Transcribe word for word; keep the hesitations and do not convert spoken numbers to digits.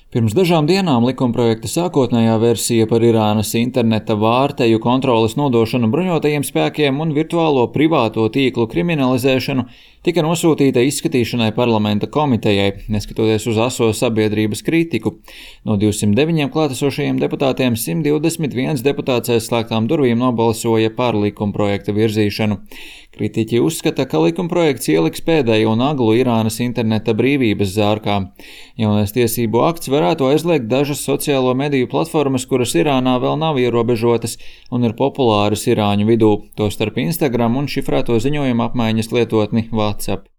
Pirms dažām dienām likumprojekta sākotnējā versija par Irānas interneta vārteju kontroles nodošanu bruņotajiem spēkiem un virtuālo privāto tīklu kriminalizēšanu tika nosūtīta izskatīšanai parlamenta komitejai, neskatoties uz aso sabiedrības kritiku. No divsimt deviņiem klātesošajiem deputātiem simt divdesmit viens deputāts aiz slēgtām durvīm nobalsoja par likumprojekta virzīšanu. Kritiķi uzskata, ka likumprojekts ieliks pēdējo naglu Irānas interneta brīvības zārkā. Jaunais tiesību akts varētu aizliegt dažas sociālo mediju platformas, kuras Irānā vēl nav ierobežotas un ir populāras irāņu vidū, tostarp Instagram un šifrēto ziņojumu apmaiņas lietotni WhatsApp.